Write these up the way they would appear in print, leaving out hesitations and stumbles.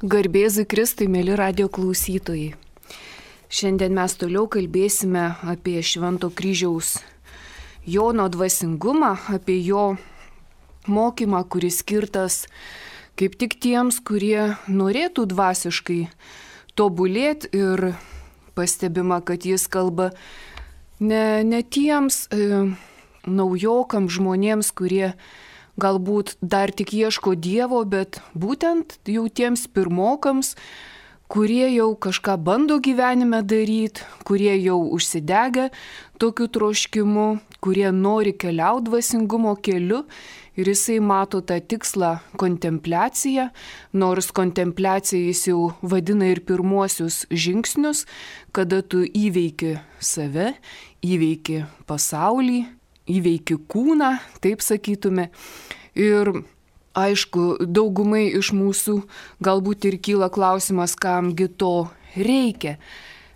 Garbėzui Kristui, mėly radio klausytojai. Šiandien mes toliau kalbėsime apie Švento kryžiaus Jono dvasingumą, apie jo mokymą, kuris skirtas kaip tik tiems, kurie norėtų dvasiškai tobulėti, ir pastebima, kad jis kalba ne tiems naujokams žmonėms, kurie galbūt dar tik ieško Dievo, bet būtent jau tiems pirmokams, kurie jau kažką bando gyvenime daryti, kurie jau užsidegę tokiu troškimu, kurie nori keliauti dvasingumo keliu, ir jisai mato tą tikslą kontempliaciją, nors kontempliacija jis jau vadina ir pirmuosius žingsnius, kada tu įveiki save, įveiki pasaulį, įveiki kūną, taip sakytume. Ir aišku, daugumai iš mūsų galbūt ir kyla klausimas, kamgi to reikia.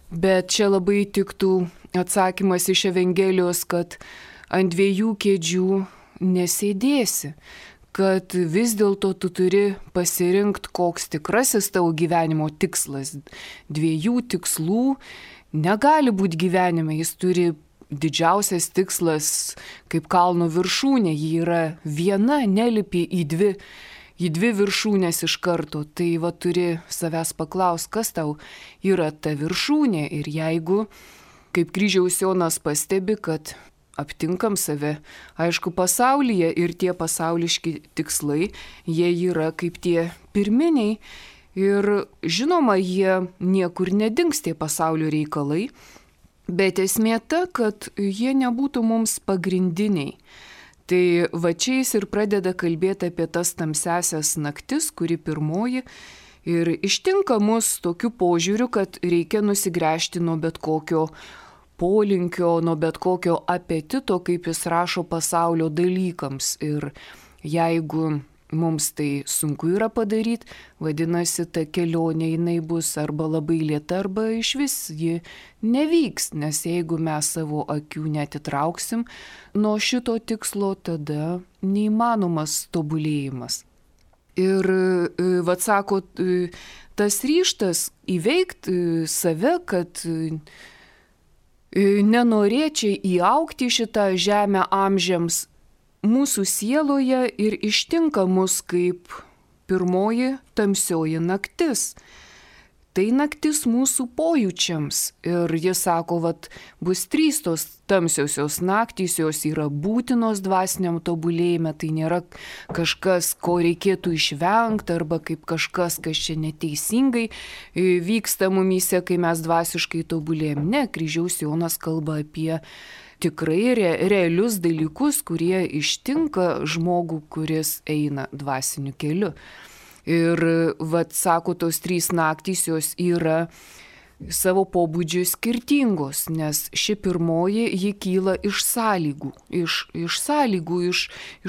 Bet čia labai tiktų atsakymas iš Evangelijos, kad ant dviejų kėdžių nesėdėsi, kad vis dėlto tu turi pasirinkti, koks tikrasis tavo gyvenimo tikslas. Dviejų tikslų negali būti gyvenime, jis turi didžiausias tikslas kaip kalno viršūnė, ji yra viena, nelipi į dvi viršūnės iš karto. Tai va turi savęs paklausti, kas tau yra ta viršūnė. Ir jeigu, kaip kryžiaus Jonas pastebi, kad aptinkam save, aišku, pasaulyje, ir tie pasauliški tikslai, jie yra kaip tie pirminiai. Ir žinoma, jie niekur nedings, tie pasaulio reikalai. Bet esmė ta, kad jie nebūtų mums pagrindiniai. Tai va čia jis ir pradeda kalbėti apie tas tamsiasias naktis, kuri pirmoji, ir ištinka mus tokiu požiūriu, kad reikia nusigręžti nuo bet kokio polinkio, nuo bet kokio apetito, kaip jis rašo, pasaulio dalykams. Ir jeigu mums tai sunku yra padaryti, vadinasi, ta kelionė jinai bus arba labai lėta, arba išvis ji nevyks, nes jeigu mes savo akių netitrauksim nuo šito tikslo, tada neįmanomas tobulėjimas. Ir vat sako, tas ryžtas įveikti save, kad nenorėčiai įaugti šitą žemę amžiams, mūsų sieloje ir ištinka mus kaip pirmoji tamsioji naktis. Tai naktis mūsų pojūčiams. Ir jis sako, vat bus 3 tos tamsiosios naktys, jos yra būtinos dvasiniam tobulėjime, tai nėra kažkas, ko reikėtų išvengti, arba kaip kažkas, kas čia neteisingai vyksta mumyse, kai mes dvasiškai tobulėjim. Ne, kryžiaus Jonas kalba apie tikrai realius dalykus, kurie ištinka žmogų, kuris eina dvasiniu keliu. Ir vat sako, tos 3 naktys jos yra savo pobūdžiu skirtingos, nes ši pirmoji, ji kyla iš sąlygų,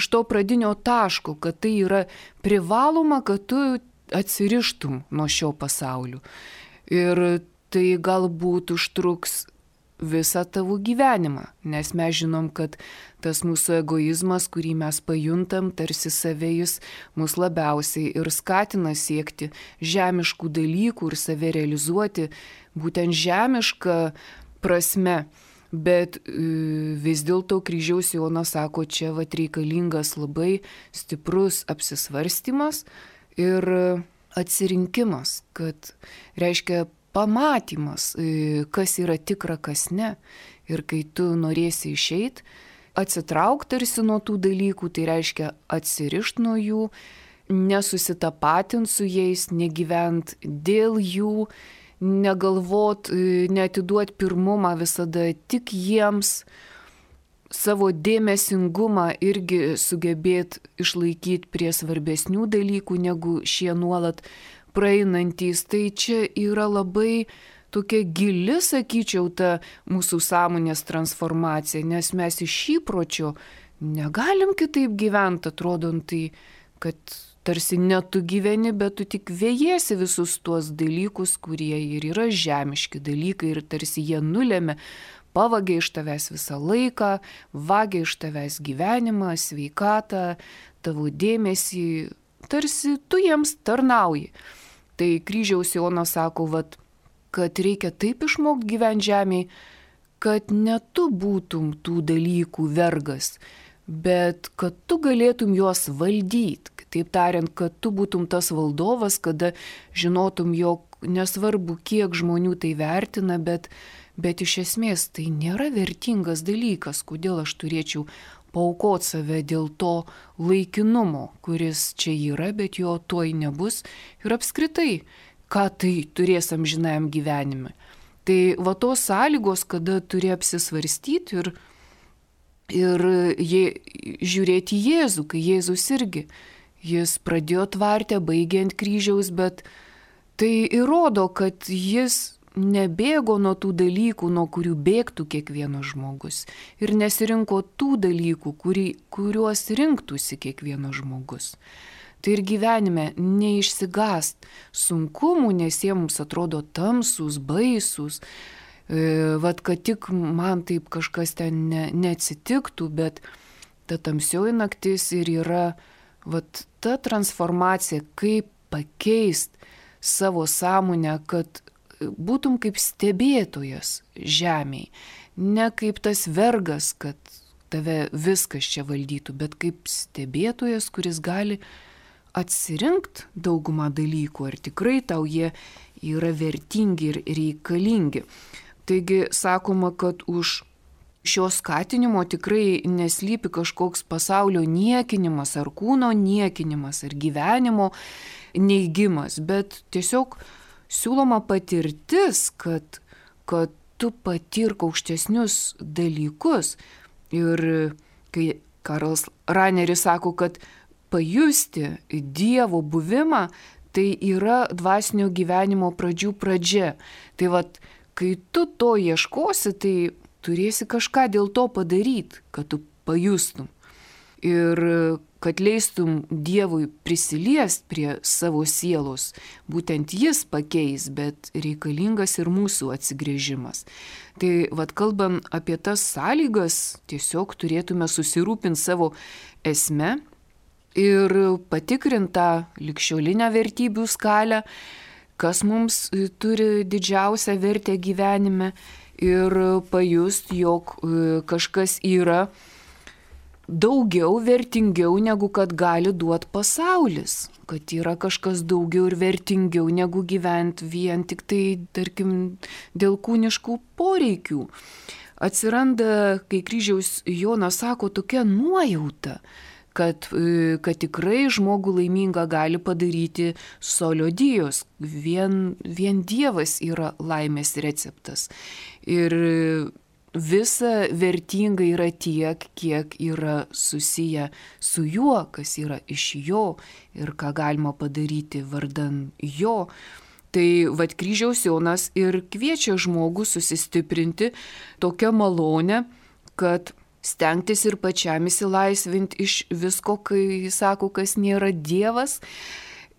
iš to pradinio taško, kad tai yra privaloma, kad tu atsirištum nuo šio pasaulio. Ir tai galbūt užtruks visą tavo gyvenimą, nes mes žinom, kad tas mūsų egoizmas, kurį mes pajuntam, tarsi save, jis mus labiausiai ir skatina siekti žemiškų dalykų ir save realizuoti būtent žemišką prasme. Bet vis dėlto kryžiaus Jonas sako, čia vat reikalingas labai stiprus apsisvarstymas ir atsirinkimas, kad reiškia pamatymas, kas yra tikra, kas ne. Ir kai tu norėsi išeiti, atsitraukti tarsi nuo tų dalykų, tai reiškia atsirišti nuo jų, nesusitapatinti su jais, negyventi dėl jų, negalvot, neatiduoti pirmumą visada tik jiems, savo dėmesingumą irgi sugebėti išlaikyti prie svarbesnių dalykų, negu šie nuolat praeinantys. Tai čia yra labai tokia gili, sakyčiau, ta mūsų sąmonės transformacija, nes mes iš įpročio negalim kitaip gyventi, atrodom tai, kad tarsi ne tu gyveni, bet tu tik vėjiesi visus tuos dalykus, kurie ir yra žemiški dalykai, ir tarsi jie nulėmė, pavagia iš tavęs visą laiką, vagia iš tavęs gyvenimą, sveikatą, tavo dėmesį, tarsi tu jiems tarnauji. Tai kryžiaus Jonas sako, kad reikia taip išmokti gyventi žemėje, kad ne tu būtum tų dalykų vergas, bet kad tu galėtum juos valdyti. Taip tariant, kad tu būtum tas valdovas, kada žinotum, jog nesvarbu, kiek žmonių tai vertina, bet iš esmės tai nėra vertingas dalykas, kodėl aš turėčiau paaukoti save dėl to laikinumo, kuris čia yra, bet jo tuoj nebus. Ir apskritai, ką tai turės amžinajam gyvenime. Tai va tos sąlygos, kada turi apsisvarstyti ir žiūrėti į Jėzų, kai Jėzus irgi, jis pradėjo tvartę, baigė ant kryžiaus, bet tai įrodo, kad jis nebėgo nuo tų dalykų, nuo kurių bėgtų kiekvienas žmogus. Ir nesirinko tų dalykų, kuriuos rinktųsi kiekvienas žmogus. Tai ir gyvenime neišsigąst sunkumų, nes jie mums atrodo tamsūs, baisūs, kad tik man taip kažkas ten neatsitiktų, bet ta tamsioji naktis ir yra ta transformacija, kaip pakeist savo sąmonę, kad būtum kaip stebėtojas žemėje, ne kaip tas vergas, kad tave viskas čia valdytų, bet kaip stebėtojas, kuris gali atsirinkti daugumą dalykų, ar tikrai tau jie yra vertingi ir reikalingi. Taigi sakoma, kad už šio skatinimo tikrai neslypi kažkoks pasaulio niekinimas, ar kūno niekinimas, ar gyvenimo neigimas, bet tiesiog siūloma patirtis, kad tu patirk aukštesnius dalykus. Ir kai Karlas Raneris sako, kad pajusti Dievo buvimą, tai yra dvasinio gyvenimo pradžių pradžia. Tai kai tu to ieškosi, tai turėsi kažką dėl to padaryti, kad tu pajustum. Ir kad leistum Dievui prisiliest prie savo sielos. Būtent jis pakeis, bet reikalingas ir mūsų atsigrėžimas. Tai kalbant apie tas sąlygas, tiesiog turėtume susirūpinti savo esme ir patikrintą ligšiolinę vertybių skalę, kas mums turi didžiausią vertę gyvenime ir pajust, jog kažkas yra daugiau vertingiau, negu kad gali duoti pasaulis. Kad yra kažkas daugiau ir vertingiau, negu gyventi vien tik tai, tarkim, dėl kūniškų poreikių. Atsiranda, kai kryžiaus Jonas sako, tokia nuojauta, kad tikrai žmogų laimingą gali padaryti solio Dievas. Vien Dievas yra laimės receptas. Ir visa vertinga yra tiek, kiek yra susiję su juo, kas yra iš jo ir ką galima padaryti vardan jo. Tai kryžiaus Jonas ir kviečia žmogų susistiprinti tokią malonę, kad stengtis ir pačiam įsilaisvinti iš visko, kai sako, kas nėra Dievas,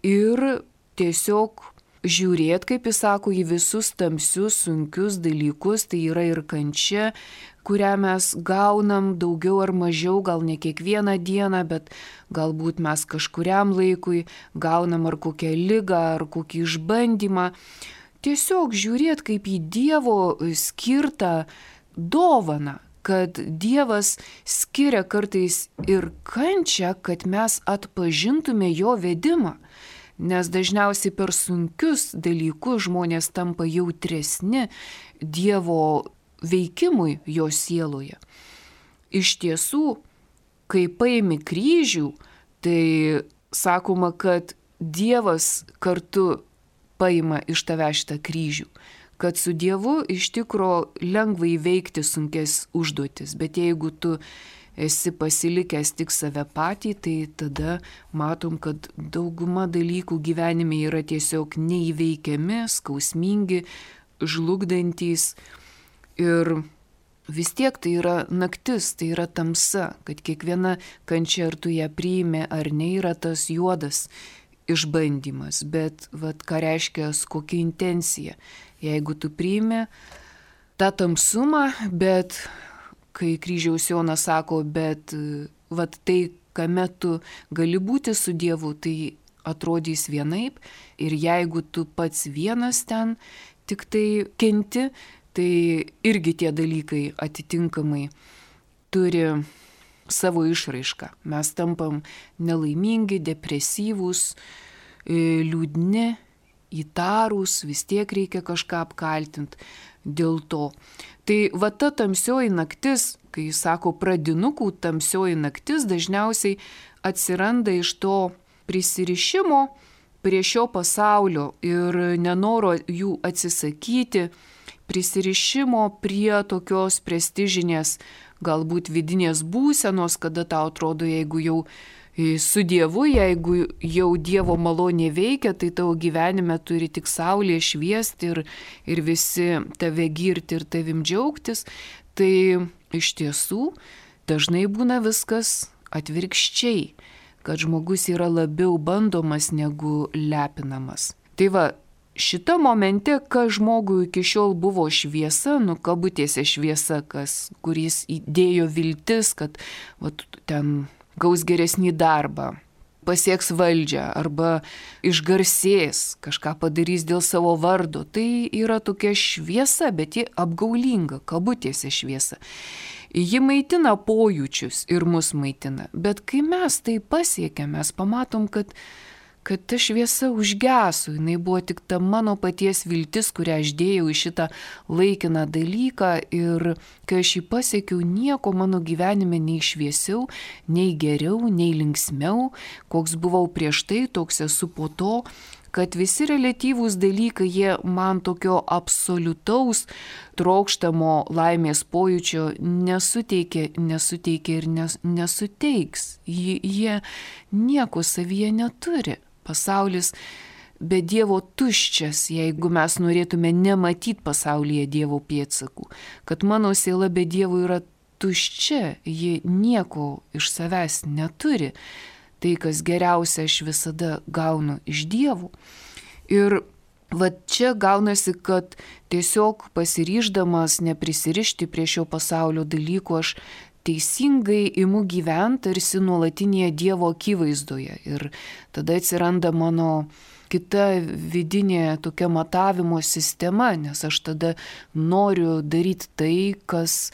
ir tiesiog žiūrėti, kaip jis sako, į visus tamsius, sunkius dalykus, tai yra ir kančia, kurią mes gaunam daugiau ar mažiau, gal ne kiekvieną dieną, bet galbūt mes kažkuriam laikui gaunam ar kokią ligą, ar kokį išbandymą. Tiesiog žiūrėti kaip į Dievo skirtą dovaną, kad Dievas skiria kartais ir kančią, kad mes atpažintume jo vedimą. Nes dažniausiai per sunkius dalykus žmonės tampa jautresni Dievo veikimui jo sieloje. Iš tiesų, kai paimi kryžių, tai sakoma, kad Dievas kartu paima iš tave šitą kryžių. Kad su Dievu iš tikro lengva įveikti sunkes užduotis, bet jeigu tu esi pasilikęs tik save patį, tai tada matom, kad dauguma dalykų gyvenime yra tiesiog neįveikiami, skausmingi, žlugdantys. Ir vis tiek tai yra naktis, tai yra tamsa, kad kiekviena kančia, ar tu ją priimi ar ne, yra tas juodas išbandymas. Bet ką reiškia, kokia intencija. Jeigu tu priimi tą tamsumą, bet kai kryžiaus Jonas sako, bet tai, kame tu gali būti su Dievu, tai atrodys vienaip ir jeigu tu pats vienas ten tik tai kenti, tai irgi tie dalykai atitinkamai turi savo išraišką. Mes tampam nelaimingi, depresyvūs, liūdni, įtarūs, vis tiek reikia kažką apkaltinti dėl to. Tai va ta tamsioji naktis, kai sako pradinukų tamsioji naktis, dažniausiai atsiranda iš to prisirišimo prie šio pasaulio ir nenoro jų atsisakyti, prisirišimo prie tokios prestižinės, galbūt vidinės būsenos, kada tau atrodo, jeigu jau su Dievu, jeigu jau Dievo malonė veikia, tai tavo gyvenime turi tik saulė šviesti ir visi tave girti ir tavim džiaugtis. Tai iš tiesų dažnai būna viskas atvirkščiai, kad žmogus yra labiau bandomas negu lepinamas. Tai va, šita momente, kas žmogui iki šiol buvo šviesa, kabutėse šviesa, kuris įdėjo viltis, kad va, ten gaus geresnį darbą, pasieks valdžią arba išgarsės, kažką padarys dėl savo vardo. Tai yra tokia šviesa, bet ji apgaulinga, kabutėse šviesa. Ji maitina pojūčius ir mus maitina, bet kai mes tai pasiekėme, mes pamatom, kad ta šviesa užgeso, jinai buvo tik ta mano paties viltis, kurią aš dėjau į šitą laikiną dalyką ir kai aš jį pasiekiau, nieko mano gyvenime nei šviesiau, nei geriau, nei linksmiau, koks buvau prieš tai, toks esu po to, kad visi reliatyvūs dalykai, jie man tokio absoliutaus trokštamo laimės pojūčio nesuteikia ir nesuteiks. Jie nieko savyje neturi. Pasaulis be Dievo tuščias, jeigu mes norėtume nematyti pasaulyje Dievo pėdsakų. Kad mano siela be Dievo yra tuščia, ji nieko iš savęs neturi. Tai, kas geriausia, aš visada gaunu iš Dievo. Ir va čia gaunasi, kad tiesiog pasiryždamas neprisirišti prie šio pasaulio dalykų, aš teisingai imu gyventi tarsi nuolatinėje Dievo akivaizdoje. Ir tada atsiranda mano kita vidinė tokia matavimo sistema, nes aš tada noriu daryti tai, kas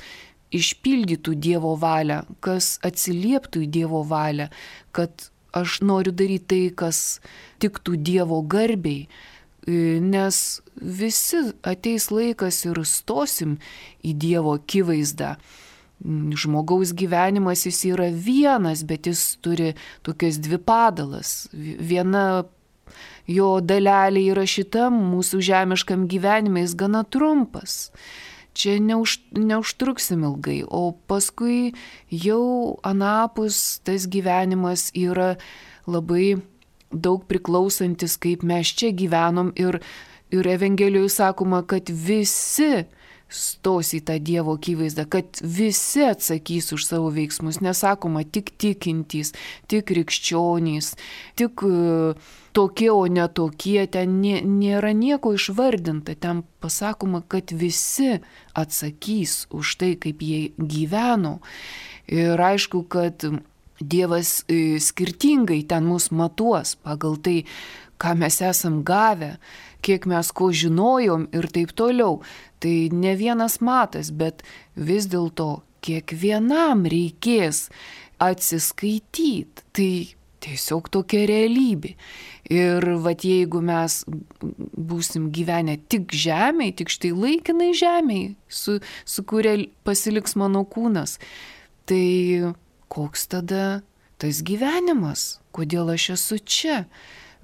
išpildytų Dievo valią, kas atsilieptų į Dievo valią, kad aš noriu daryti tai, kas tiktų Dievo garbei, nes visi ateis laikas ir stosim į Dievo akivaizdą. Žmogaus gyvenimas jis yra vienas, bet jis turi tokias dvi padalas. Viena jo dalelė yra šitam mūsų žemiškam gyvenime, jis gana trumpas. Čia neužtruksim ilgai, o paskui jau anapus tas gyvenimas yra labai daug priklausantis, kaip mes čia gyvenom ir Evangelijoje sakoma, kad visi stos į tą Dievo akivaizdą, kad visi atsakys už savo veiksmus. Nesakoma tik tikintys, tik krikščionys, tik tokie, o ne tokie. Ten nėra nieko išvardinta. Ten pasakoma, kad visi atsakys už tai, kaip jie gyveno. Ir aišku, kad Dievas skirtingai ten mus matuos pagal tai, ką mes esam gavę, kiek mes ko žinojom ir taip toliau. Tai ne vienas matas, bet vis dėlto kiekvienam reikės atsiskaityti. Tai tiesiog tokia realybė. Ir vat jeigu mes būsim gyvenę tik žemėj, tik štai laikinai žemėj, su kuria pasiliks mano kūnas, tai koks tada tas gyvenimas? Kodėl aš esu čia?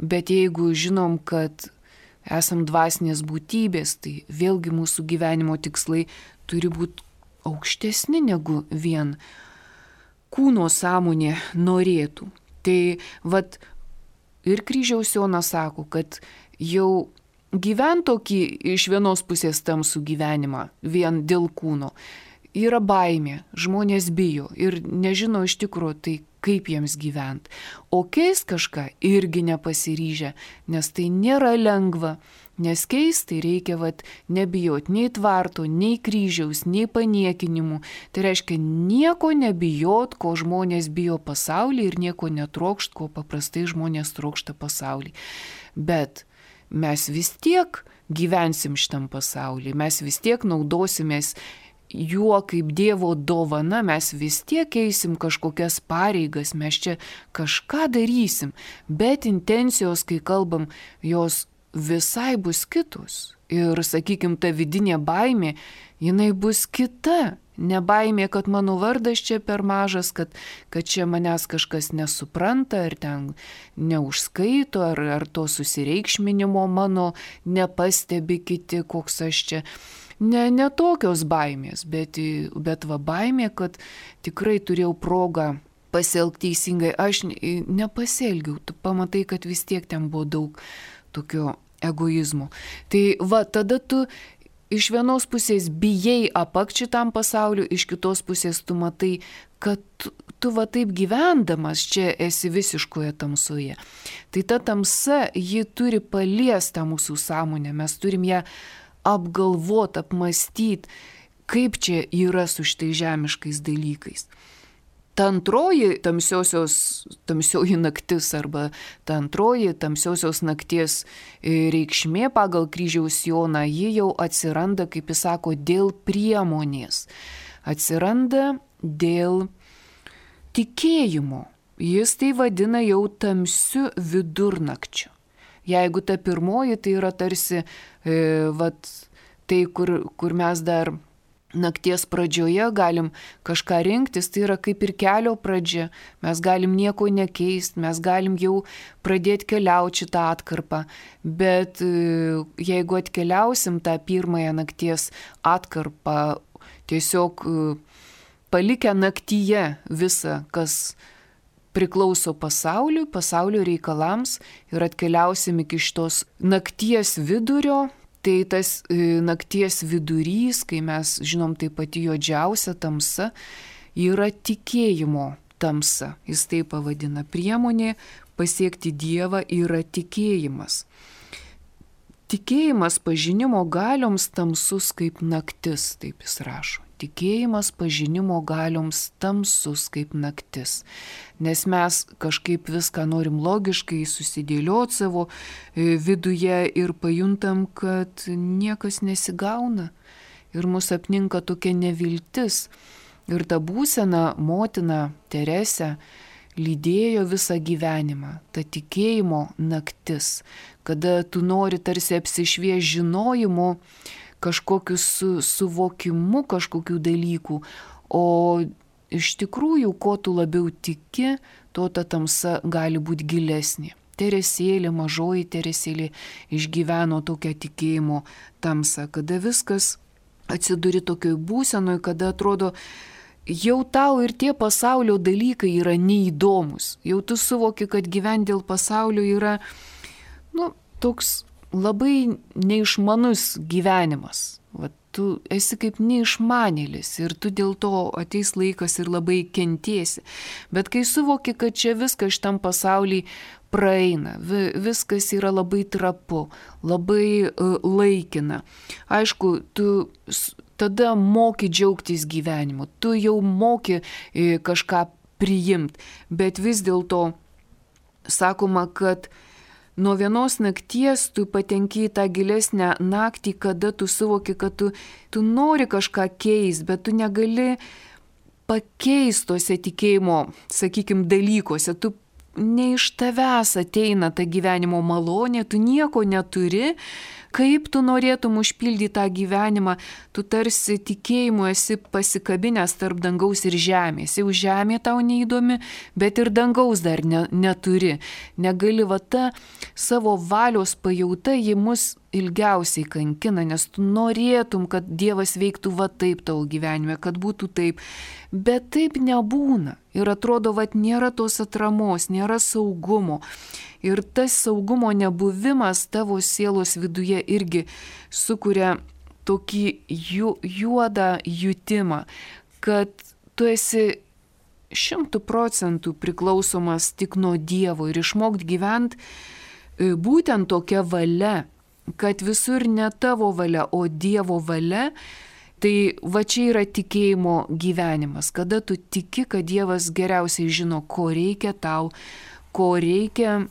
Bet jeigu žinom, kad esam dvasinės būtybės, tai vėlgi mūsų gyvenimo tikslai turi būti aukštesni negu vien kūno sąmonė norėtų. Tai vat ir Kryžiaus Jonas sako, kad jau gyvent tokį iš vienos pusės tamsų gyvenimą vien dėl kūno yra baimė, žmonės bijo ir nežino iš tikrųjų, tai kaip jiems gyventi. O keist kažką irgi nepasiryžę, nes tai nėra lengva. Nes keisti reikia nebijoti nei tvarto, nei kryžiaus, nei paniekinimų. Tai reiškia nieko nebijot, ko žmonės bijo pasaulyje ir nieko netrokšt, ko paprastai žmonės trokšta pasaulyje. Bet mes vis tiek gyvensim šitam pasaulyje, mes vis tiek naudosimės juo kaip Dievo dovana, mes vis tiek eisim kažkokias pareigas, mes čia kažką darysim, bet intencijos, kai kalbam, jos visai bus kitos. Ir, sakykim, ta vidinė baimė, jinai bus kita. Ne baimė, kad mano vardas čia per mažas, kad čia manęs kažkas nesupranta, ar ten neužskaito, ar to susireikšminimo mano nepastebi kiti, koks aš čia. Ne tokios baimės, bet baimė, kad tikrai turėjau progą pasielgti teisingai. Aš nepasielgiau, tu pamatai, kad vis tiek ten buvo daug tokio egoizmo. Tai tada tu iš vienos pusės bijai apakti šitam pasauliu, iš kitos pusės tu matai, kad tu taip gyvendamas čia esi visiškoje tamsoje. Tai ta tamsa, ji turi paliesti tą mūsų sąmonę, mes turim ją apgalvoti, apmastyti, kaip čia yra su šitais žemiškais dalykais. Ta antroji tamsioji naktis arba ta antroji tamsiosios nakties reikšmė pagal kryžiaus Joną, ji jau atsiranda, kaip jis sako, dėl priemonės. Atsiranda dėl tikėjimo. Jis tai vadina jau tamsiu vidurnakčiu. Jeigu ta pirmoji, tai yra tarsi tai, kur mes dar nakties pradžioje galim kažką rinktis, tai yra kaip ir kelio pradžia. Mes galim nieko nekeisti, mes galim jau pradėti keliauti šitą atkarpą. Bet jeigu atkeliausim tą pirmąją nakties atkarpą, tiesiog palikę naktyje visą, kas priklauso pasaulio reikalams ir atkeliausim iki šitos nakties vidurio, tai tas nakties vidurys, kai mes žinom tai pati juodžiausia tamsa, yra tikėjimo tamsa. Jis tai pavadina. Priemonė pasiekti Dievą yra tikėjimas. Tikėjimas pažinimo galioms tamsus kaip naktis, taip jis rašo. Tikėjimas pažinimo galioms tamsus kaip naktis. Nes mes kažkaip viską norim logiškai susidėlioti savo viduje ir pajuntam, kad niekas nesigauna. Ir mus apninka tokia neviltis. Ir ta būsena motina Teresė lydėjo visą gyvenimą. Ta tikėjimo naktis, kada tu nori tarsi apsišvies žinojimu, kažkokiu suvokimu kažkokių dalykų, o iš tikrųjų, ko tu labiau tiki, to ta tamsa gali būti gilesnė. Teresėlė, mažoji Teresėlė išgyveno tokią tikėjimo tamsą, kada viskas atsiduri tokioj būsenoj, kada atrodo, jau tau ir tie pasaulio dalykai yra neįdomus. Jau tu suvoki, kad gyventi dėl pasaulio yra, toks labai neišmanus gyvenimas. Tu esi kaip neišmanėlis ir tu dėl to ateis laikas ir labai kentėsi. Bet kai suvoki, kad čia viskas šitam pasaulyje praeina, viskas yra labai trapu, labai laikina. Aišku, tu tada moki džiaugtis gyvenimu, tu jau moki kažką priimti, bet vis dėlto sakoma, kad nuo vienos nakties tu patenki į tą gilesnę naktį, kada tu suvoki, kad tu nori kažką keisti, bet tu negali pakeisti tose tikėjimo, sakykim, dalykuose. Tu ne iš tavęs ateina ta gyvenimo malonė, tu nieko neturi. Kaip tu norėtum užpildyti tą gyvenimą, tu tarsi tikėjimu esi pasikabinęs tarp dangaus ir žemės. Jau žemė tau neįdomi, bet ir dangaus dar neturi. Negali ta savo valios pajauta, ji mus ilgiausiai kankina, nes tu norėtum, kad Dievas veiktų taip tavo gyvenime, kad būtų taip. Bet taip nebūna. Ir atrodo, nėra tos atramos, nėra saugumo. Ir tas saugumo nebuvimas tavo sielos viduje irgi sukuria tokį juodą jutimą, kad tu esi 100% priklausomas tik nuo Dievo ir išmokti gyventi būtent tokia valia, kad visur ne tavo valia, o Dievo valia. Tai va čia yra tikėjimo gyvenimas, kada tu tiki, kad Dievas geriausiai žino, ko reikia tau, ko reikia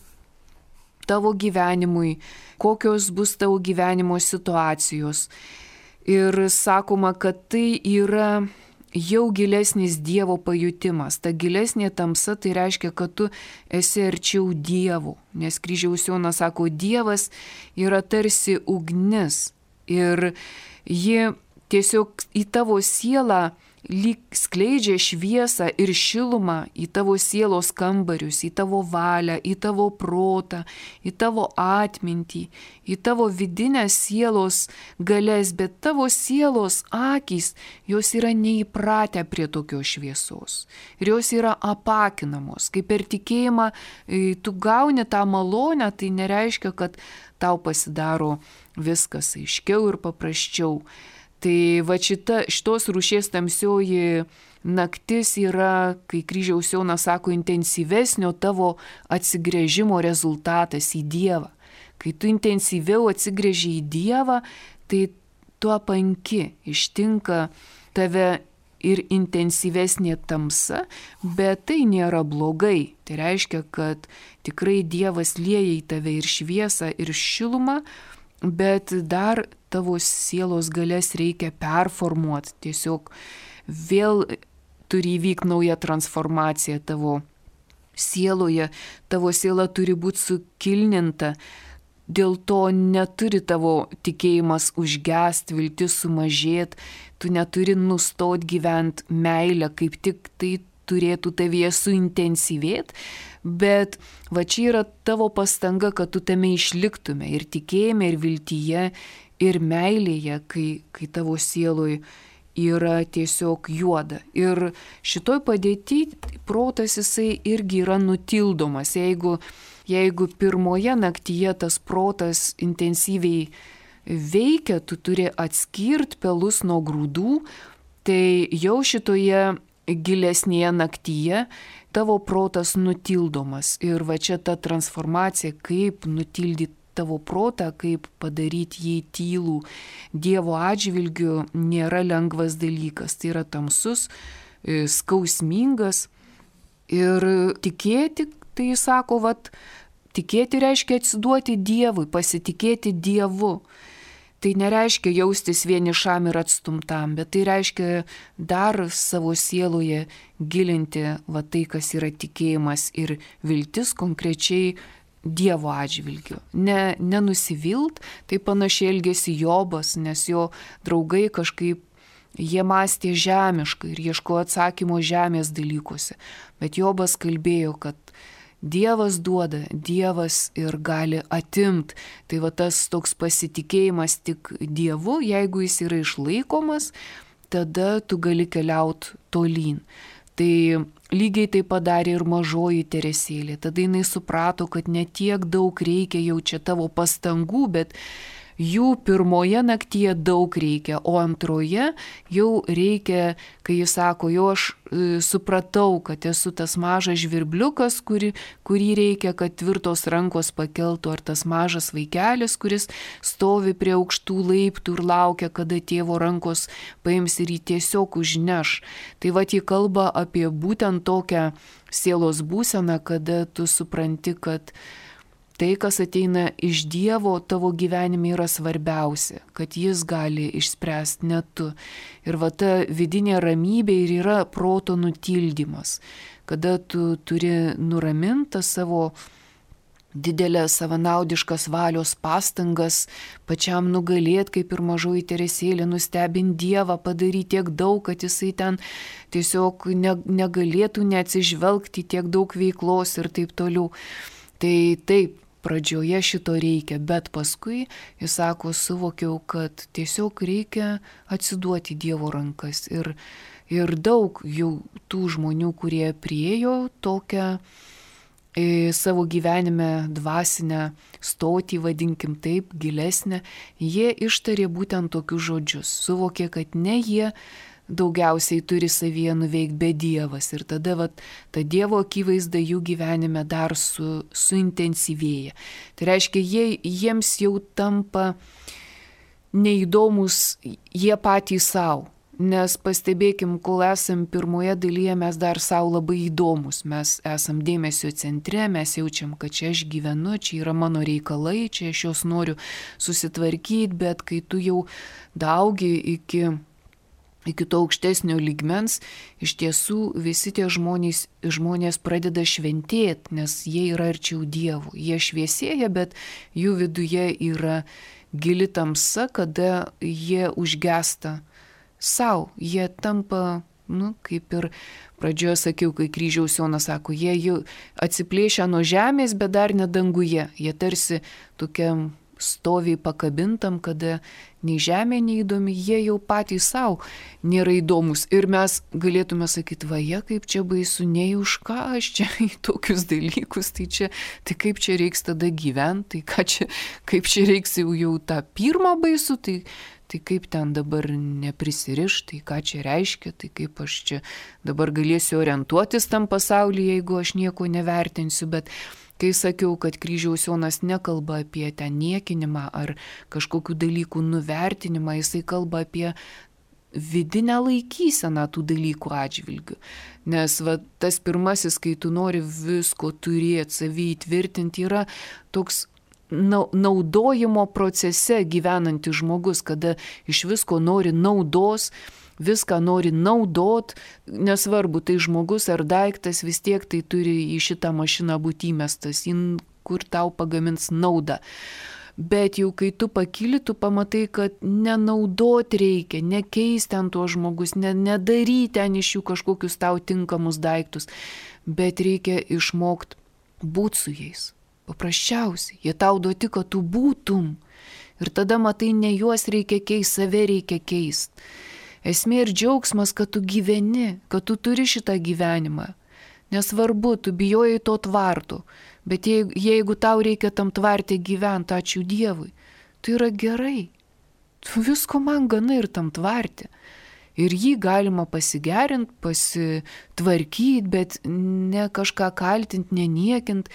tavo gyvenimui, kokios bus tavo gyvenimo situacijos. Ir sakoma, kad tai yra jau gilesnis Dievo pajutimas. Ta gilesnė tamsa tai reiškia, kad tu esi arčiau Dievo. Nes Kryžiaus Jonas sako, Dievas yra tarsi ugnis ir ji tiesiog į tavo sielą lyg skleidžia šviesą ir šilumą į tavo sielos kambarius, į tavo valią, į tavo protą, į tavo atmintį, į tavo vidinę sielos galės, bet tavo sielos akys, jos yra neįpratę prie tokios šviesos. Ir jos yra apakinamos. Kai per tikėjimą tu gauni tą malonę, tai nereiškia, kad tau pasidaro viskas aiškiau ir paprasčiau. Tai va šitos rūšies tamsioji naktis yra, kai Kryžiaus Jonas sako, intensyvesnio tavo atsigręžimo rezultatas į Dievą. Kai tu intensyviau atsigręži į Dievą, tai tu apanki, ištinka tave ir intensyvesnė tamsa, bet tai nėra blogai. Tai reiškia, kad tikrai Dievas lieja į tave ir šviesą, ir šilumą, bet dar tavo sielos galės reikia performuoti. Tiesiog vėl turi įvykti nauja transformacija tavo sieloje. Tavo siela turi būti sukilninta. Dėl to neturi tavo tikėjimas užgest, viltis sumažėti. Tu neturi nustot gyventi meilę, kaip tik tai turėtų tavyje suintensyvėti. Bet va čia yra tavo pastanga, kad tu tame išliktume ir tikėjime, ir viltyje, ir meilėje, kai tavo sieloj yra tiesiog juoda. Ir šitoj padėty protas jisai irgi yra nutildomas. Jeigu pirmoje naktyje tas protas intensyviai veikia, tu turi atskirti pelus nuo grūdų, tai jau šitoje gilesnėje naktyje tavo protas nutildomas. Ir va čia ta transformacija, kaip nutildyti tavo protą, kaip padaryti jį tylų Dievo atžvilgiu, nėra lengvas dalykas. Tai yra tamsus, skausmingas. Ir tikėti, tai sako, tikėti reiškia atsiduoti Dievui, pasitikėti Dievu. Tai nereiškia jaustis vienišam ir atstumtam, bet tai reiškia dar savo sieloje gilinti tai, kas yra tikėjimas ir viltis konkrečiai Dievo atžvilgiu. Nenusivilt, tai panašiai elgėsi Jobas, nes jo draugai kažkaip jie mąstė žemiškai ir ieškojo atsakymo žemės dalykuose. Bet Jobas kalbėjo, kad Dievas duoda, Dievas ir gali atimti. Tai va tas toks pasitikėjimas tik Dievu, jeigu jis yra išlaikomas, tada tu gali keliauti tolyn. Tai lygiai tai padarė ir mažoji Teresėlė. Tada jinai suprato, kad ne tiek daug reikia jau čia tavo pastangų, bet jų pirmoje naktyje daug reikia, o antroje jau reikia, kai jis sako, jau aš supratau, kad esu tas mažas žvirbliukas, kurį reikia, kad tvirtos rankos pakeltų, ar tas mažas vaikelis, kuris stovi prie aukštų laiptų ir laukia, kada tėvo rankos paims ir jį tiesiog užneš. Tai va, jį kalba apie būtent tokią sielos būseną, kada tu supranti, kad tai, kas ateina iš Dievo, tavo gyvenime yra svarbiausia, kad jis gali išspręsti, ne tu. Ir va ta vidinė ramybė ir yra proto nutildymas, kada tu turi nuramintą savo didelės savanaudiškas valios pastangas, pačiam nugalėti, kaip ir mažoji Teresėlė, nustebinti Dievą, padaryti tiek daug, kad jisai ten tiesiog negalėtų neatsižvelgti tiek daug veiklos ir taip toliau. Tai taip, pradžioje šito reikia, bet paskui, jis sako, suvokiau, kad tiesiog reikia atsiduoti Dievo rankas. Ir daug jau tų žmonių, kurie priėjo tokią savo gyvenime dvasinę stotį, vadinkim taip, gilesnę, jie ištarė būtent tokius žodžius. Suvokė, kad ne jie daugiausiai turi savyje nuveikti, bet Dievas. Ir tada ta Dievo akivaizda jų gyvenime dar suintensyvėja. Tai reiškia, jiems jau tampa neįdomus jie patys savo. Nes pastebėkim, kol esam pirmoje dalyje, mes dar savo labai įdomus. Mes esam dėmesio centre, mes jaučiam, kad čia aš gyvenu, čia yra mano reikalai, čia aš juos noriu susitvarkyti, bet kai tu jau daugi iki to aukštesnio lygmens, iš tiesų visi tie žmonės pradeda šventėti, nes jie yra arčiau Dievo. Jie šviesėja, bet jų viduje yra gili tamsa, kada jie užgesta sau. Jie tampa, kaip ir pradžioje sakiau, kai kryžiaus Jonas sako, jie jau atsiplėšia nuo žemės, bet dar ne danguje. Jie tarsi tokiam stoviai pakabintam, kada nei žemė neįdomi, jie jau patys savo nėra įdomus. Ir mes galėtume sakyti, kaip čia baisu, nei už ką aš čia į tokius dalykus, tai kaip čia reiks tada gyventi, tai kaip čia reiks jau tą pirmą baisu, tai kaip ten dabar neprisiriš, tai ką čia reiškia, tai kaip aš čia dabar galėsiu orientuotis tam pasaulyje, jeigu aš nieko nevertinsiu, bet kai sakiau, kad kryžiaus Jonas nekalba apie ten niekinimą ar kažkokių dalykų nuvertinimą, jisai kalba apie vidinę laikyseną tų dalykų atžvilgių. Nes tas pirmasis, kai tu nori visko turėti, savį įtvirtinti, yra toks naudojimo procese gyvenantis žmogus, kada iš visko nori naudos, viską nori naudot, nesvarbu, tai žmogus ar daiktas, vis tiek tai turi į šitą mašiną būti įmestas, kur tau pagamins naudą. Bet jau kai tu pakyli, tu pamatai, kad nenaudot reikia, nekeisti ant to žmogus, nedaryti ten iš jų kažkokius tau tinkamus daiktus, bet reikia išmokti būti su jais. Paprasčiausiai, jie tau duoti, kad tu būtum. Ir tada matai, ne juos reikia keisti, save reikia keisti. Esmė ir džiaugsmas, kad tu gyveni, kad tu turi šitą gyvenimą. Nesvarbu, tu bijojai to tvarto, bet jeigu tau reikia tam tvarte gyventi, ačiū Dievui, tai yra gerai. Visko man gana ir tam tvarte. Ir jį galima pasigerinti, pasitvarkyti, bet ne kažką kaltinti, neniekint.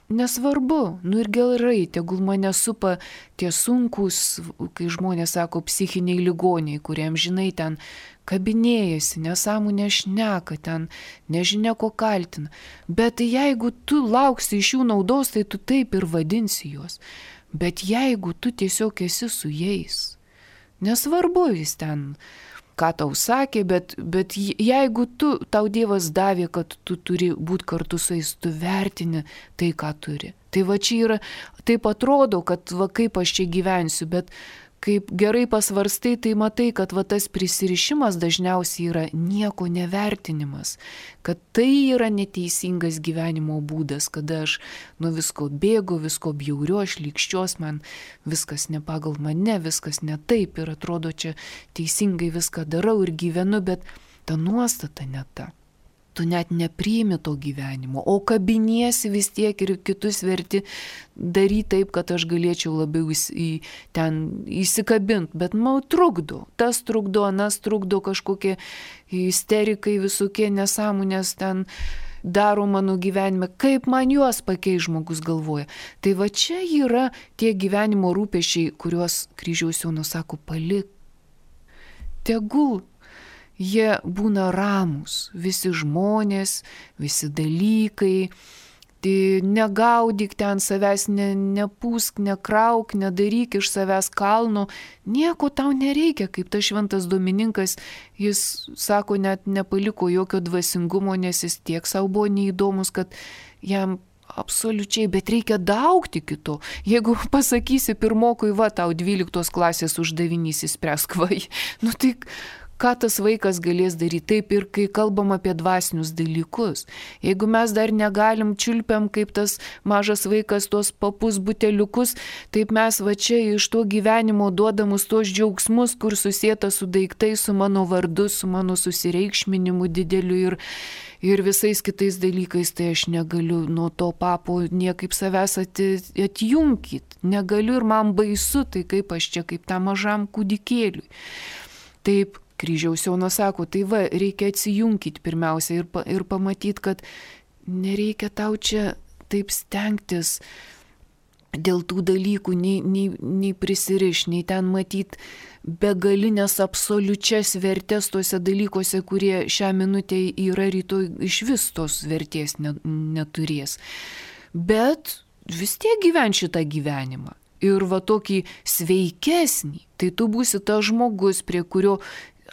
Nesvarbu, ir gerai, tegul mane supa tie sunkus, kai žmonės sako, psichiniai ligoniai, kuriems, žinai, ten kabinėjasi, nesąmonė šneka, ten nežinia ko kaltina. Bet jeigu tu lauksi iš jų naudos, tai tu taip ir vadinsi juos. Bet jeigu tu tiesiog esi su jais, nesvarbu jis ten, ką tau sakė, bet jeigu tau Dievas davė, kad tu turi būti kartu su jais, tu vertini tai, ką turi. Tai čia yra, taip atrodo, kad kaip aš čia gyvensiu, bet kaip gerai pasvarstai, tai matai, kad tas prisirišimas dažniausiai yra nieko nevertinimas, kad tai yra neteisingas gyvenimo būdas, kada aš nuo visko bėgu, visko bjauriu, aš lygščios, man viskas ne pagal mane, viskas ne taip ir atrodo čia teisingai viską darau ir gyvenu, bet ta nuostata ne ta. Tu net nepriimi to gyvenimo, o kabiniesi vis tiek ir kitus verti daryti taip, kad aš galėčiau labiau ten įsikabinti, bet man trukdo, tas trukdo, anas trukdo, kažkokie isterikai, visokie nesąmonės ten daro mano gyvenime, kaip man juos pakeis, žmogus galvoja. Tai čia yra tie gyvenimo rūpesčiai, kuriuos kryžiaus Jonas sako, palik. Tegul jie būna ramūs, visi žmonės, visi dalykai, tai negaudyk ten savęs, nepūsk, nekrauk, nedaryk iš savęs kalno, nieko tau nereikia, kaip tas šventas Domininkas, jis sako, net nepaliko jokio dvasingumo, nes jis tiek savo buvo neįdomus, kad jam absoliučiai, bet reikia daugti kito. Jeigu pasakysi pirmokui, tau 12 klasės uždavinys įspręsk, tai ką tas vaikas galės daryti? Taip ir kai kalbam apie dvasinius dalykus. Jeigu mes dar negalim, čiulpiam kaip tas mažas vaikas tos papus buteliukus, taip mes čia iš to gyvenimo duodamus tos džiaugsmus, kur susieta su daiktai, su mano vardu, su mano susireikšminimu dideliu ir visais kitais dalykais, tai aš negaliu nuo to papo niekaip savęs atjunkit. Negaliu ir man baisu, tai kaip aš čia, kaip tam mažam kūdikėliui. Taip, Kryžiaus Jonas sako, tai va, reikia atsijungti pirmiausia ir pamatyti, kad nereikia tau čia taip stengtis dėl tų dalykų, nei prisiriš, nei ten matyti begalinės absoliučias vertės tuose dalykuose, kurie šią minutę yra, rytoj iš vis tos vertės neturės. Bet vis tiek gyven šitą gyvenimą. Ir va tokį sveikesnį, tai tu būsi tas žmogus, prie kurio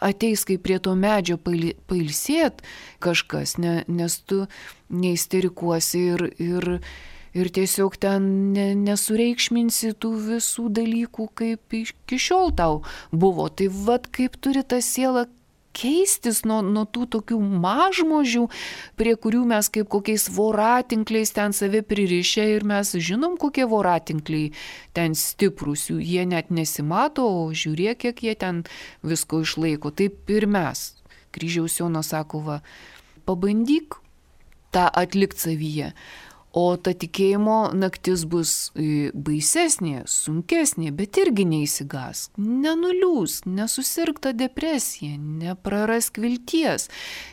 ateis kaip prie to medžio pailsėt kažkas, nes tu neisterikuosi ir tiesiog ten nesureikšminsi tų visų dalykų, kaip iki šiol tau buvo. Tai vat kaip turi ta siela keistis nuo tų tokių mažmožių, prie kurių mes kaip kokiais voratinkliais ten save pririšę ir mes žinom, kokie voratinkliai ten stiprus, jie net nesimato, o žiūrėk, kiek jie ten visko išlaiko. Taip ir mes. Kryžiaus Jonas sako, va, pabandyk tą atlikti savyje. O ta tikėjimo naktis bus baisesnė, sunkesnė, bet irgi neįsigas. Nenuliūs, nesusirk tą depresiją, neprarask vilties.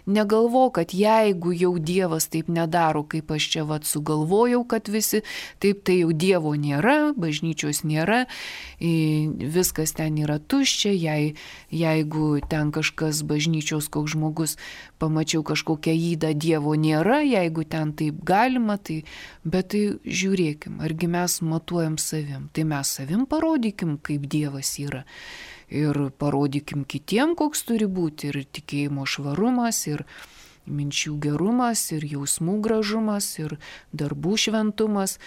Negalvo, kad jeigu jau Dievas taip nedaro, kaip aš čia vat sugalvojau, kad visi, taip tai jau Dievo nėra, bažnyčios nėra, viskas ten yra tuščia, jeigu ten kažkas bažnyčios, koks žmogus, pamačiau kažkokią ydą, Dievo nėra, jeigu ten taip galima, tai bet tai žiūrėkim, argi mes matuojam savim, tai mes savim parodykim, kaip Dievas yra ir parodykim kitiem, koks turi būti ir tikėjimo švarumas, ir minčių gerumas, ir jausmų gražumas, ir darbų šventumas.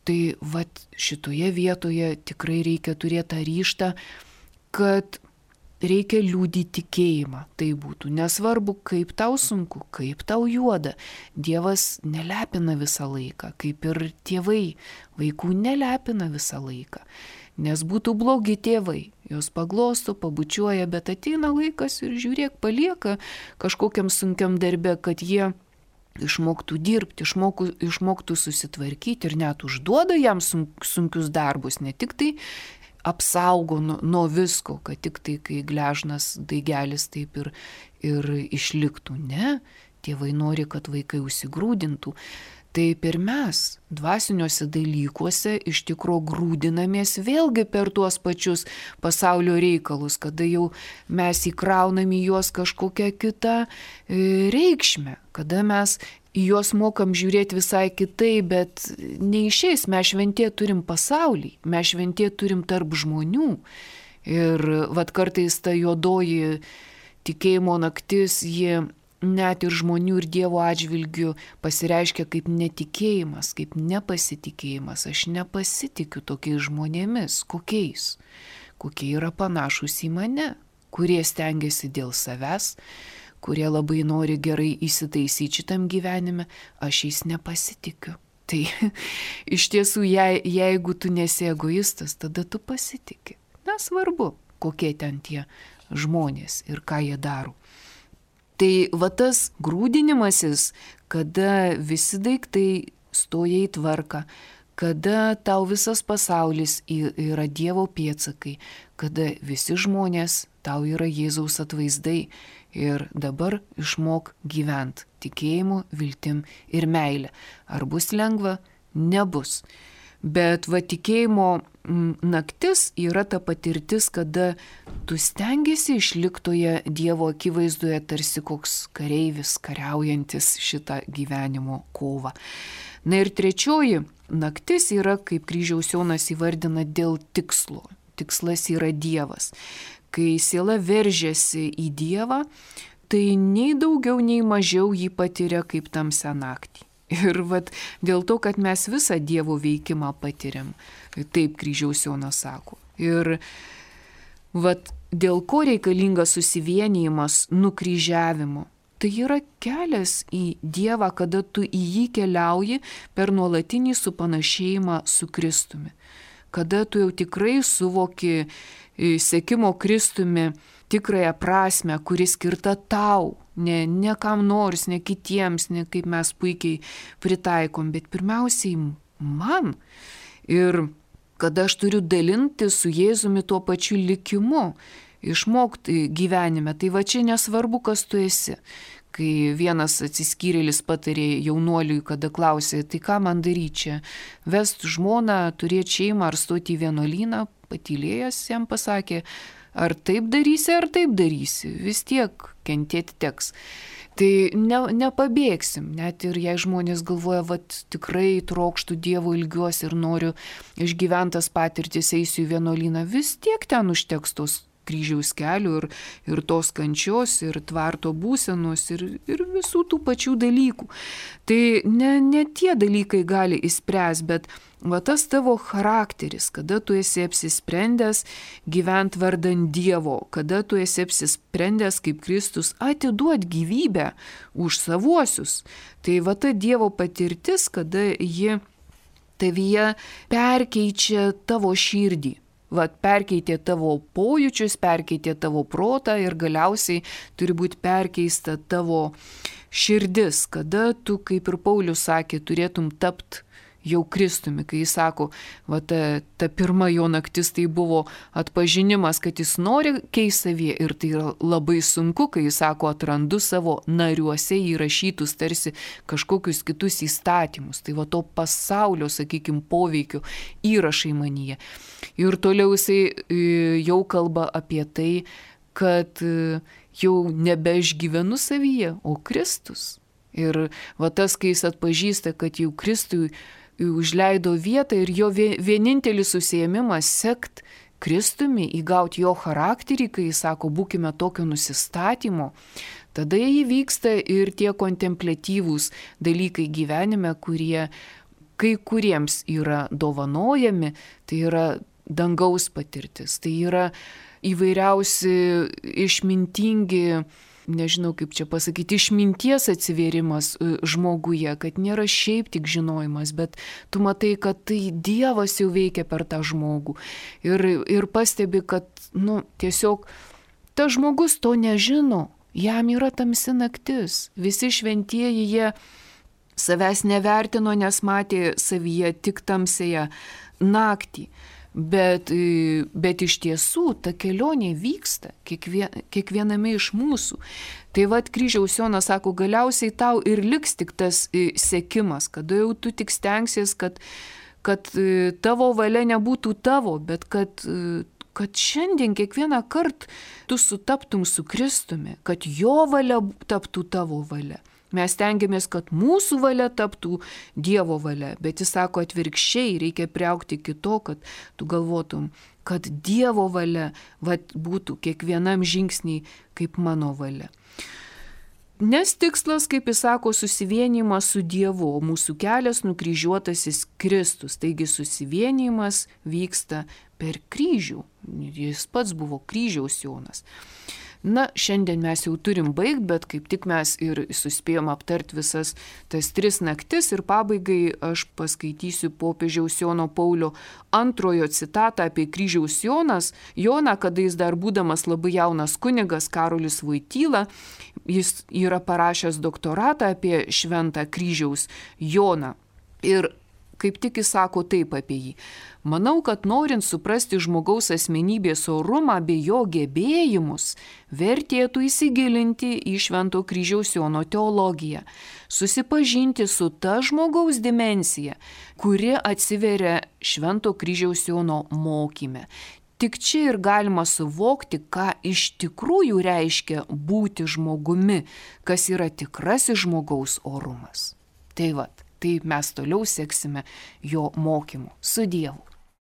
Tai vat šitoje vietoje tikrai reikia turėti tą ryžtą, kad reikia liudyti tikėjimą. Tai būtų nesvarbu, kaip tau sunku, kaip tau juoda. Dievas nelepina visą laiką, kaip ir tėvai. Vaikų nelepina visą laiką. Nes būtų blogi tėvai. Jos paglosto, pabučiuoja, bet ateina laikas ir žiūrėk, palieka kažkokiam sunkiam darbe, kad jie išmoktų dirbti, išmoktų susitvarkyti ir net užduoda jam sunkius darbus, ne tik tai apsaugo nuo visko, kad tik tai, kai gležnas daigelis taip ir išliktų. Ne, tėvai nori, kad vaikai užsigrūdintų. Taip ir mes dvasiniuose dalykuose iš tikro grūdinamės vėlgi per tuos pačius pasaulio reikalus, kada jau mes įkraunam į juos kažkokią kitą reikšmę, kada mes į juos mokam žiūrėti visai kitai, bet neišeis, mes šventė turim pasaulį, mes šventė turim tarp žmonių. Ir vat kartais ta juodoji tikėjimo naktis, jie net ir žmonių ir Dievo atžvilgių pasireiškia kaip netikėjimas, kaip nepasitikėjimas. Aš nepasitikiu tokiais žmonėmis. Kokiais? Kokie yra panašus į mane, kurie stengiasi dėl savęs, kurie labai nori gerai įsitaisyti šitam gyvenime, aš jais nepasitikiu. Tai iš tiesų, jeigu tu nesi egoistas, tada tu pasitiki. Nesvarbu, kokie ten tie žmonės ir ką jie daro. Tai va tas grūdinimasis, kada visi daiktai stoja į tvarką, kada tau visas pasaulis yra Dievo pėdsakai, kada visi žmonės tau yra Jėzaus atvaizdai ir dabar išmok gyventi tikėjimu, viltim ir meilė. Ar bus lengva? Nebus. Bet va tikėjimo naktis yra ta patirtis, kada tu stengiasi išliktoje Dievo akivaizdoje tarsi koks kareivis kariaujantis šitą gyvenimo kovą. Na ir trečioji naktis yra, kaip Kryžiaus Jonas įvardina, dėl tikslo. Tikslas yra Dievas. Kai siela veržiasi į Dievą, tai nei daugiau, nei mažiau jį patiria kaip tamsią naktį. Ir vat dėl to, kad mes visą Dievo veikimą patiriam, taip Kryžiaus Jonas sako. Ir vat dėl ko reikalingas susivienijimas nukryžiavimo. Tai yra kelias į Dievą, kada tu į jį keliauji per nuolatinį supanašėjimą su Kristumi. Kada tu jau tikrai suvoki sekimo Kristumi tikrąją prasme, kuri skirta tau, ne kam nors, ne kitiems, ne kaip mes puikiai pritaikom, bet pirmiausiai man. Ir kada aš turiu dalinti su Jėzumi tuo pačiu likimu. išmokti gyvenime. Tai va čia nesvarbu, kas tu esi. Kai vienas atsiskyrėlis patarė jaunuoliui, kada klausė, tai ką man daryti čia, vest žmoną, turėti šeimą ar stoti į vienuolyną, patylėjęs jam pasakė, ar taip darysi, vis tiek kentėti teks. Tai nepabėgsim, net ir jei žmonės galvoja, vat tikrai trokštų Dievo, ilgiuosi ir noriu išgyventas patirtis, eisiu į vienuolyną, vis tiek ten užteks tos kryžiaus kelių ir tos kančios, ir tvarto būsenos, ir visų tų pačių dalykų. Tai ne tie dalykai gali išspręsti, bet va tas tavo charakteris, kada tu esi apsisprendęs gyventi vardan Dievo, kada tu esi apsisprendęs kaip Kristus atiduoti gyvybę už savuosius. Tai va ta Dievo patirtis, kada ji tavyje perkeičia tavo širdį. Vat perkeitė tavo pojūčius, perkeitė tavo protą ir galiausiai turi būti perkeista tavo širdis, kada tu, kaip ir Paulius sakė, turėtum tapti jau Kristumi, kai jis sako, va ta pirma jo naktis tai buvo atpažinimas, kad jis nori keisti savyje ir tai yra labai sunku, kai jis sako, atrandu savo nariuose įrašytus tarsi kažkokius kitus įstatymus, tai va to pasaulio, sakykime, poveikio įrašai manyje. Ir toliau jisai jau kalba apie tai, kad jau nebeišgyvenu savyje, o Kristus. Ir va tas, kai jis atpažįsta, kad jau Kristui užleido vietą ir jo vienintelis užsiėmimas sekt Kristumi, įgauti jo charakterį, kai jis sako, būkime tokio nusistatymo, tada įvyksta ir tie kontempliatyvūs dalykai gyvenime, kurie kai kuriems yra dovanojami, tai yra dangaus patirtis, tai yra įvairiausi išmintingi, nežinau kaip čia pasakyti, išminties atsivėrimas žmoguje, kad nėra šiaip tik žinojimas, bet tu matai, kad tai Dievas jau veikia per tą žmogų. Ir pastebi, kad tiesiog tas žmogus to nežino, jam yra tamsi naktis. Visi šventieji jie savęs nevertino, nes matė savyje tik tamsėje naktį. Bet iš tiesų ta kelionė vyksta kiekviename iš mūsų. Tai vat kryžiaus Jonas sako, galiausiai tau ir liks tik tas sekimas, kada jau tu tik stengsies, kad tavo valia nebūtų tavo, bet kad šiandien kiekvieną kartą tu sutaptum su Kristumi, kad jo valia taptų tavo valia. Mes tengiamės, kad mūsų valia taptų Dievo valia, bet jis sako atvirkščiai, reikia priaugti kito, kad tu galvotum, kad Dievo valia būtų kiekvienam žingsniai kaip mano valia. Nes tikslas, kaip jis sako, susivienijimas su Dievu, o mūsų kelias nukryžiuotasis Kristus. Taigi susivienijimas vyksta per kryžių. Jis pats buvo kryžiaus Jonas. Na, šiandien mes jau turim baigti, bet kaip tik mes ir suspėjom aptarti visas tas 3 naktis ir pabaigai aš paskaitysiu popiežiaus Jono Paulio II citatą apie kryžiaus Joną, kada jis dar būdamas labai jaunas kunigas Karolis Voityla, jis yra parašęs doktoratą apie šventą kryžiaus Joną. Ir kaip tik jis sako taip apie jį. Manau, kad norint suprasti žmogaus asmenybės orumą bei jo gebėjimus, vertėtų įsigilinti į Švento kryžiaus Jono teologiją, susipažinti su ta žmogaus dimensija, kuri atsiveria Švento kryžiaus Jono mokyme. Tik čia ir galima suvokti, ką iš tikrųjų reiškia būti žmogumi, kas yra tikrasis žmogaus orumas. Tai mes toliau seksime jo mokymu. Su Dievu.